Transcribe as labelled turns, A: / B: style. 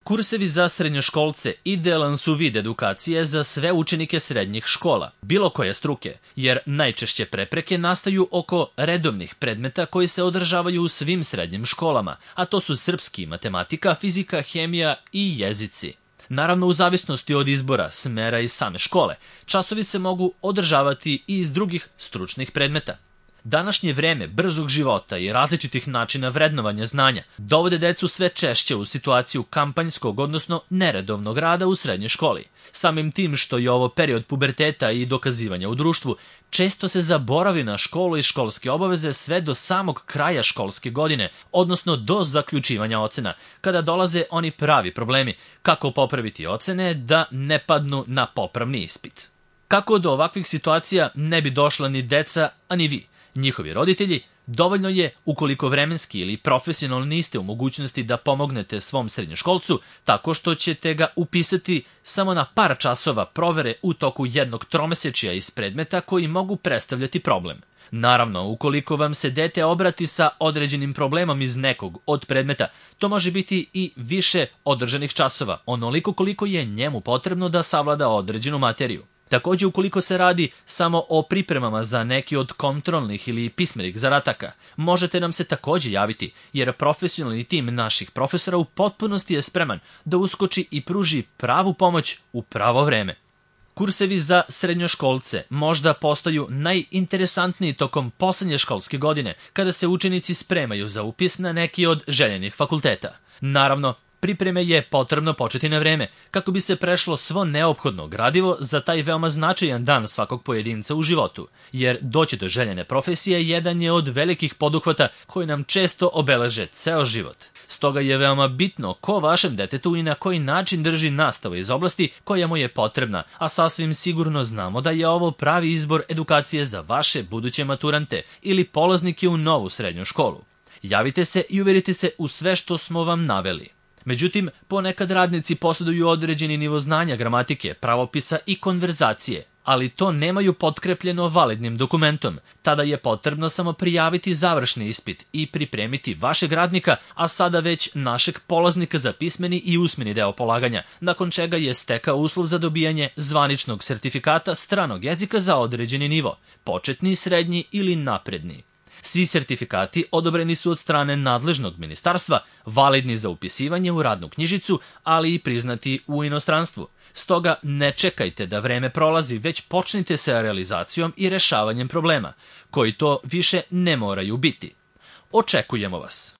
A: Kursevi za srednjoškolce idealan su vid edukacije za sve učenike srednjih škola, bilo koje struke, jer najčešće prepreke nastaju oko redovnih predmeta koji se održavaju u svim srednjim školama, a to su srpski, matematika, fizika, hemija i jezici. Naravno, u zavisnosti od izbora, smera i same škole, časovi se mogu održavati i iz drugih stručnih predmeta. Današnje vreme brzog života i različitih načina vrednovanja znanja dovode decu sve češće u situaciju kampanjskog, odnosno neredovnog rada u srednjoj školi. Samim tim što je ovo period puberteta i dokazivanja u društvu, često se zaboravi na školu i školske obaveze sve do samog kraja školske godine, odnosno do zaključivanja ocena, kada dolaze oni pravi problemi, kako popraviti ocene da ne padnu na popravni ispit. Kako do ovakvih situacija ne bi došla ni deca, a ni vi, njihovi roditelji, dovoljno je, ukoliko vremenski ili profesionalno niste u mogućnosti da pomognete svom srednjoškolcu, tako što ćete ga upisati samo na par časova provere u toku jednog tromesečja iz predmeta koji mogu predstavljati problem. Naravno, ukoliko vam se dete obrati sa određenim problemom iz nekog od predmeta, to može biti i više održanih časova, onoliko koliko je njemu potrebno da savlada određenu materiju. Također, ukoliko se radi samo o pripremama za neki od kontrolnih ili pismenih zadataka, možete nam se također javiti, jer profesionalni tim naših profesora u potpunosti je spreman da uskoči i pruži pravu pomoć u pravo vreme. Kursevi za srednjoškolce možda postaju najinteresantniji tokom poslednje školske godine, kada se učenici spremaju za upis na neki od željenih fakulteta. Naravno, pripreme je potrebno početi na vreme, kako bi se prešlo svo neophodno gradivo za taj veoma značajan dan svakog pojedinca u životu, jer doći do željene profesije jedan je od velikih poduhvata koji nam često obeleže ceo život. Stoga je veoma bitno ko vašem detetu i na koji način drži nastavu iz oblasti koja mu je potrebna, a sasvim sigurno znamo da je ovo pravi izbor edukacije za vaše buduće maturante ili polaznike u novu srednju školu. Javite se i uverite se u sve što smo vam naveli. Međutim, ponekad radnici posjeduju određeni nivo znanja gramatike, pravopisa i konverzacije, ali to nemaju potkrepljeno validnim dokumentom. Tada je potrebno samo prijaviti završni ispit i pripremiti vašeg radnika, a sada već našeg polaznika za pismeni i usmeni deo polaganja, nakon čega je stekao uslov za dobijanje zvaničnog sertifikata stranog jezika za određeni nivo, početni, srednji ili napredni. Svi sertifikati odobreni su od strane nadležnog ministarstva, validni za upisivanje u radnu knjižicu, ali i priznati u inostranstvu. Stoga ne čekajte da vreme prolazi, već počnite sa realizacijom i rešavanjem problema, koji to više ne moraju biti. Očekujemo vas!